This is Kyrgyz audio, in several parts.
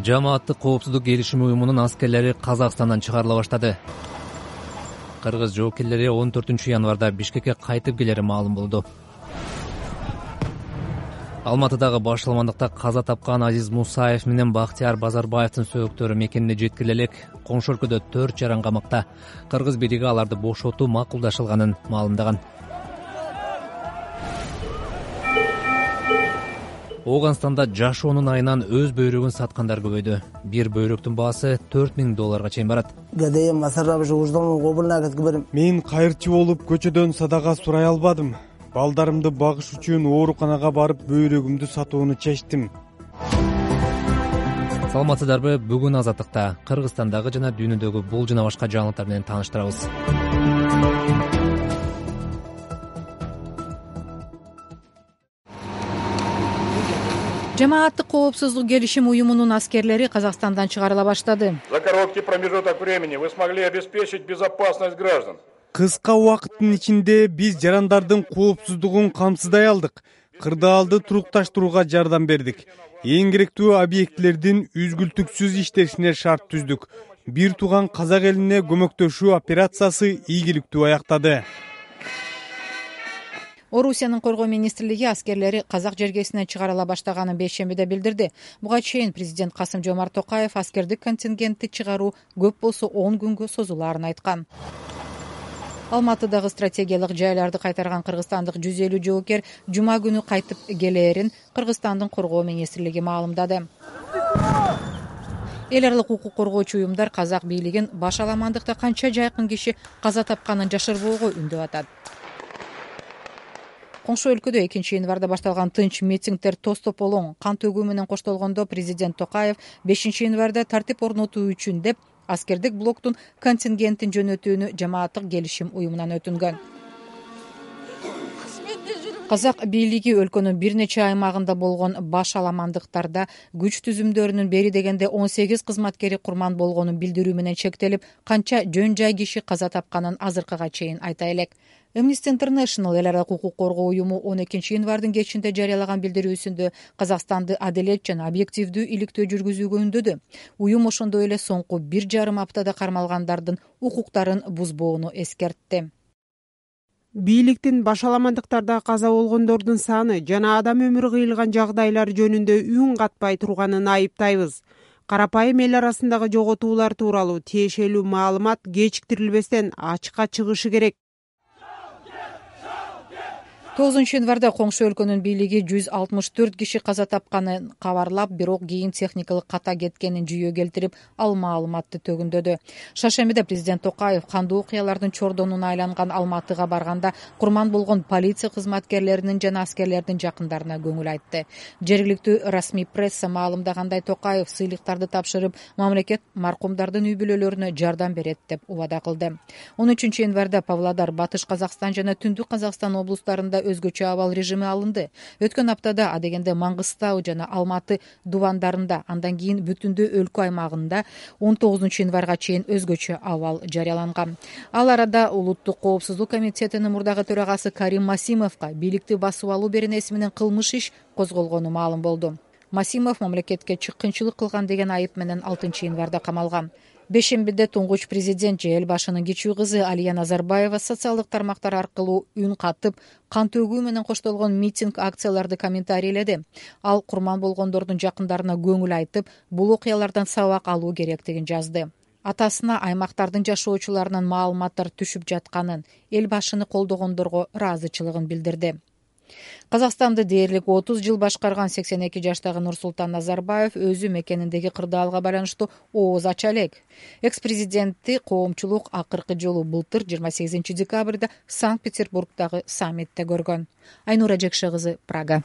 Жамааттык коопсуздук келишими уюмунун аскерлери Казакстандан чыгарыла баштады. Кыргыз жоокерлери 14-январда Бишкекке кайтып келери маалым болду. Алматыдагы башаламандыкта каза тапкан Азиз Мусаев менен Бактияр Базарбаевдин сөөктөрү мекенине жеткире элек коңшу өлкөдө 4 жаран камакта. Кыргыз бийлиги аларды бошотуу макулдашылганын маалымдаган. Ооганстанда жашоонун айынан өз бөйрөгүн саткандар көбөйдү. Бир бөйрөктүн баасы $4000 чейин барат. Мен кайырчы болуп көчөдөн садага сурай албадым. Балдарымды багыш үчүн ооруканага барып бөйрөгүмдү сатууну чечтим. Саламатсыздарбы? Бүгүн Азаттыкта Кыргызстандагы жана дүйнөдөгү бул жана башка жаңылыктар менен тааныштырабыз. Жамааттык коопсуздук келишим уюмунун аскерлери Казакстандан чыгарыла баштады. За короткий промежуток времени вы смогли обеспечить безопасность граждан. Кыска убакыттын ичинде биз жарандардын коопсуздугун камсыздай алдык. Кырдаалды турукташтырууга жардам бердик. Эң керектүү объектилердин үзгүлтүксүз иштешине шарт түздүк. Бир тууган казак элине көмөктөшүү операциясы ийгиликтүү аяктады. Орусиянын коргоо министрлиги аскерлери казак жергесине чыгарыла баштаганын бейшембиде билдирди. Буга чейин президент Касым-Жомарт Токаев аскердик контингентти чыгаруу көп болсо 10 күнгө созулаарын айткан. Алматыдагы стратегиялык жайларды кайтарган кыргызстандык 150 жоокер жума күнү кайтып келээрин Кыргызстандын коргоо министрлиги маалымдады. Эл аралык укук коргоочу уюмдар казак бийлигин башаламандыкта канча жайкын киши каза тапканын жашырбоого үндөп атат. Коңшу өлкөдө 2-январда башталган тынч митингдер тостополоң кан төгүү менен коштолгондо президент Токаев 5-январда тартип орнотуу үчүн деп аскердик блоктун контингентин жөнөтүүнү жамааттык келишим уюмунан өтүнгөн. Казак бийлиги өлкөнүн бир нече аймагында болгон башаламандыктарда күч түзүмдөрүнүн бери дегенде 18 кызматкери курман болгонун билдирүү менен чектелип, канча жөн жай киши каза тапканын азыркыга чейин айта элек. Amnesty International эл аралык укук коргоо уюму 12-январдын кечинде жарыялаган билдирүүсүндө Казакстанды адилет жана объективдүү иликтөө жүргүзүүгө үндөдү. Уюм ошондой эле соңку 1,5 аптада кармалгандардын укуктарын бузбоону эскертти. Бийликтин башаламандыктарда каза болгондордун саны жана адам өмүрү кыйылган жагдайлар жөнүндө үн катпай турганын айыптайбыз. Карапайым эл арасындагы жоготуулар тууралуу тиешелүү маалымат кечиктирилбестен ачыкка чыгышы керек. 9-январда коңшу өлкөнүн бийлиги 164 киши каза тапканын кабарлап, бирок кийин техникалык ката кеткенин жүйө келтирип, ал маалыматты төгүндөдү. Шаршембиде президент Токаев кандуу окуялардын чордонуна айланган Алматыга барганда курман болгон полиция кызматкерлеринин жана аскерлердин жакындарына көңүл айтты. Жергиликтүү расмий пресса маалымдагандай, Токаев сыйлыктарды тапшырып, мамлекет маркумдардын үй бүлөлөрүнө жардам берет деп убада кылды. 13-январда Павлодар, Батыш Казакстан жана Түндүк Казакстан облустарында өзгөчө абал режими алынды. Өткөн аптада адегенде Маңгыстау жана Алматы дубандарында, андан кийин бүтүндө өлкө аймагында 19-январга чейин өзгөчө абал жарыяланган. Ал арада Улуттук коопсуздук комитетинин мурдагы төрагасы Карим Масимовго бийликти басып алуу беренеси менен кылмыш иш козголгону маалым болду. Масимов мамлекетке чыккынчылык кылган деген айып менен 6-январда камалган. Бешембиде туңгуч президент же эл башынын кичүү кызы Алия Назарбаева социалдык тармактар аркылуу үн катып, кан төгүү менен коштолгон митинг акцияларды комментарийледи. Ал курман болгондордун жакындарына көңүл айтып, бул окуялардан сабак алуу керектигин жазды. Атасына аймактардын жашоочуларынын маалыматтар түшүп жатканын, эл башыны колдогондорго ыраазычылыгын билдирди. Казакстанды дээрлик 30 жыл башкарган 82 жаштагы Нурсултан Назарбаев өзү мекениндеги кырдаалга байланыштуу ооз ача элек. Экс-президентти коомчулук акыркы жолу былтыр 28 декабрда Санкт-Петербургдагы саммитте көргөн. Айнура Жекше кызы, Прага.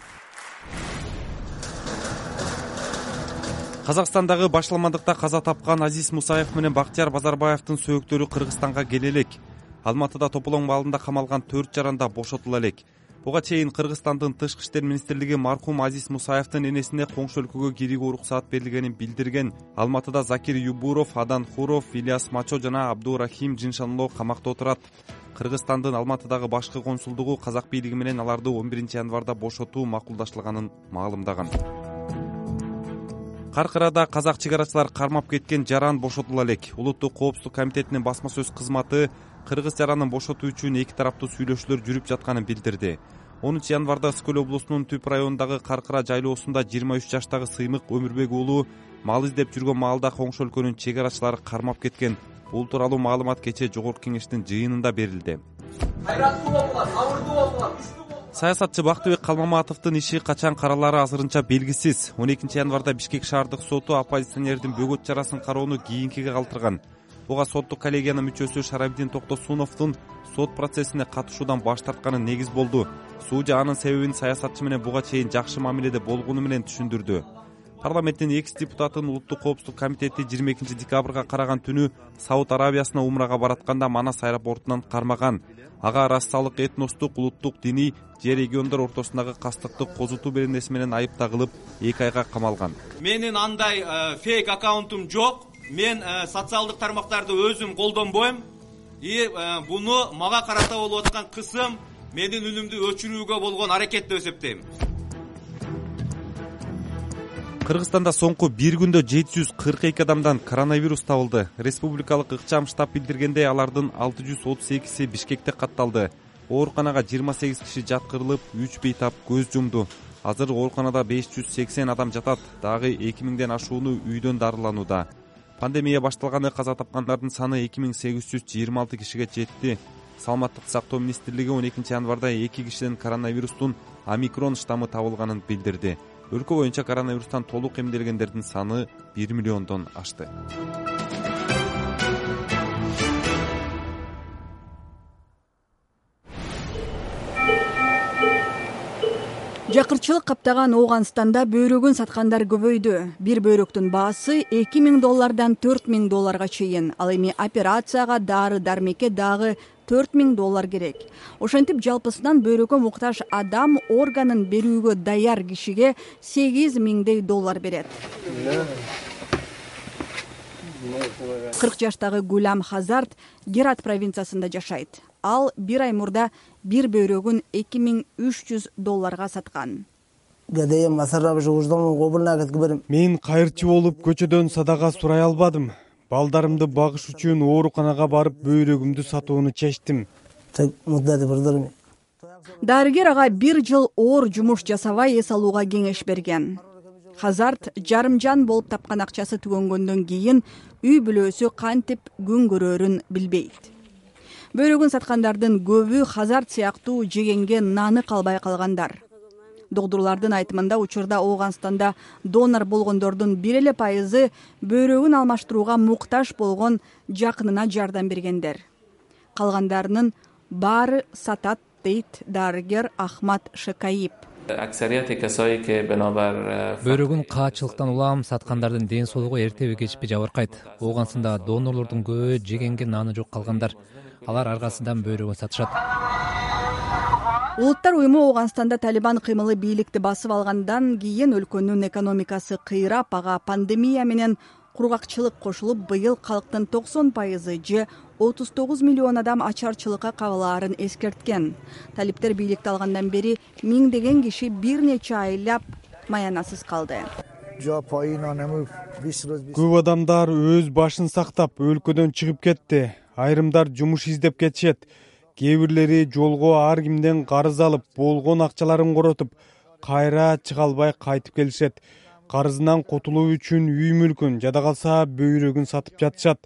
Казакстандагы башаламандыкта каза тапкан Азиз Мусаев менен Бактияр Базарбаевдин сөөктөрү Кыргызстанга келе элек. Алматыда тополоң маалында камалган 4 жаранда бошотула элек. Буга чейин Кыргызстандын Тышкы иштер министрлиги маркум Азиз Мусаевдин энесине коңшу өлкөгө кирүүгө уруксаат берилгенин билдирген. Алматыда Закир Юбуров, Адан Хуров, Ильяс Мачо жана Абдурахим Жиншанло камакта отурат. Кыргызстандын Алматыдагы башкы консулдугу казак бийлиги менен аларды 11-январда бошотуу макулдашылганын маалымдаган. Каркырада казак чек арачылар кармап кеткен жаран бошотула элек. Улуттук коопсуздук комитетинин басма сөз кызматы кыргыз жаранын бошотуу үчүн эки тараптуу сүйлөшүүлөр жүрүп жатканын билдирди. 10 январда Скөл облусунун Түп районундагы Каркыра жайлоосунда 23 жаштагы Сыймык Өмүрбек уулу мал издеп жүргөн маалда Коңшу өлкөнүн чек арачылары кармап кеткен. Бул тууралуу маалымат кечээ Жогорку Кеңештин жыйынында берилди. Саясатчы Бактыбек Калмаматовдун иши качан каралары азырынча белгисиз. 12 январда Бишкек шаардык соту оппозиционердин бөгөт чарасын кароону кийинкиге калтырган. Буга соттук коллегиянын мүчөсү Шарабидин Токтосуновдун сот процессине катышуудан баш тартканы негиз болду. Суудья анын себебин саясатчы менен буга чейин жакшы мамиледе болгону менен түшүндүрдү. Парламенттин экс-депутатын Улуттук коопсуздук комитети 22 декабрга караган түнү Сауд Арабиясына умрага баратканда Манас аэропортунан кармаган. Ага рассалык, этностук, улуттук, диний же региондор ортосундагы кастыкты козутуу беренеси менен айып тагылып 2 айга камалган. Менин андай фейк аккаунтум жок. Мен социалдык тармактарды өзүм колдонбойм. Буну мага карата болуп аткан кысым менин үнүмдү өчүрүүгө болгон аракет деп эсептейм. Кыргызстанда соңку бир күндө 742 адамдан коронавирус табылды. Республикалык ыкчам штаб билдиргендей, алардын 638си Бишкекте катталды. Ооруканага 28 киши жаткырылып, 3 бейтап көз жумду. Азыр ооруканада 580 адам жатат. Дагы 2000ден ашууну үйдөн дарыланууда. Пандемия башталганы каза тапкандардын саны 2826 кишиге жетти. Саламаттык сактоо министрлиги 12 январда 2 кишиден коронавирустун омикрон штаммы табылганын билдирди. Өлкө боюнча коронавирустан толук эмделгендердин саны 1 миллиондон ашты. Жакырчылык каптаган Ооганстанда бөйрөгүн саткандар көбөйдү. Бир бөйрөктүн баасы $2000 $4000 чейин. Ал эми операцияга, дары-дармекке дагы $4000 керек. Ошентип жалпысынан бөйрөгкө муктаж адам органын берүүгө даяр кишиге $8000 берет. 40 жаштагы Гулам Хазарт Герат провинциясында жашайт. Ал бир ай мурда бир бөйрөгүн $2300 саткан. Мен кайырчы болуп көчөдөн садага сурай албадым. Балдарымды багыш үчүн ооруканага барып бөйрөгүмдү сатууну чечтим. Дарыгер ага 1 жыл оор жумуш жасабай эс алууга кеңеш берген. Хазарт жарымжан болуп тапкан акчасы түгөнгөндөн кийин үй бүлөсү кантип күн көрөрүн билбейт. Бөйрөгүн саткандардын көбү Хазарт сыяктуу жегенге наны калбай калгандар. Докторлордун айтымында учурда Ооганстанда донор болгондордун 1% бөйрөгүн алмаштырууга муктаж болгон жакынына жардам бергендер. Калгандарынын баары сатат, дейт дарыгер Ахмат Шекаип. Бөйрөгүн каачылыктан улам саткандардын ден соолугу эртеби кечпи жабыркайт. Ооганстанда донорлордун көбү жегенге наны жок калгандар. Алар аргасынан бөйрөгүн сатышат. Улуттар уюму Ооганстанда Талибан кыймылы бийликти басып алгандан кийин өлкөнүн экономикасы кыйрап, ага пандемия менен кургакчылык кошулуп, быйыл калктын 90% же 39 миллион адам ачарчылыкка кабылаарын эскерткен. Талиптер бийликти алгандан бери миңдеген киши бир нече айлап маянасыз калды. Көп адамдар өз башын сактап өлкөдөн чыгып кетти. Айрымдар жумуш издеп кетишет. Кээ жолго ар кимден карыз алып, болгон акчаларын коротуп, кайра чыга албай кайтып келишет. Карызынан котулуу үчүн үй мүлкүн, жада калса бөйрөгүн сатып жатышат.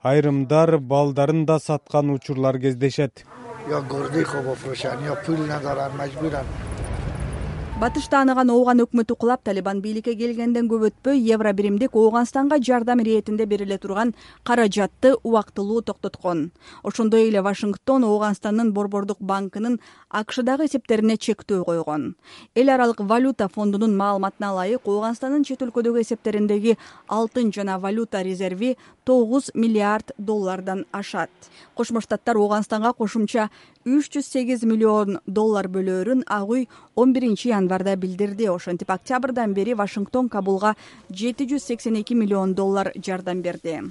Айрымдар балдарын да саткан учурлар кездешет. Батышта аныган Ооган өкмөтү кулап, Талибан бийликке келгенден көп өтпөй евро биримдик Ооганстанга жардам иретинде бериле турган каражатты убактылуу токтоткон. Ошондой эле Вашингтон Ооганстандын Борбордук банкынын АКШдагы эсептерине чектөө койгон. Эл аралык валюта фондунун маалыматына ылайык, Ооганстандын чет өлкөдөгү эсептериндеги алтын жана валюта резерви $9 миллиард ашат. Кошмо Штаттар Ооганстанга кошумча $308 миллион бөлөөрүн ак үй 11 январда билдирди. Ошентип октябрдан бери Вашингтон Кабулга $782 миллион жардам берди.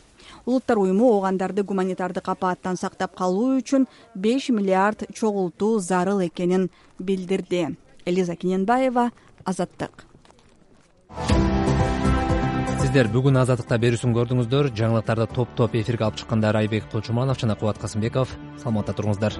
Улуттар уюму оогандарды гуманитардык апааттан сактап калуу үчүн $5 миллиард чогултуу зарыл экенин билдирди. Элиза Киненбаева, Азаттык. сиздер бүгүн Азаттыкта берүүсүн көрдүңүздөр. Жаңылыктарды топ эфирге алып чыккандар Айбек Точуманов жана Кубат Касымбеков. Саламатта туруңуздар.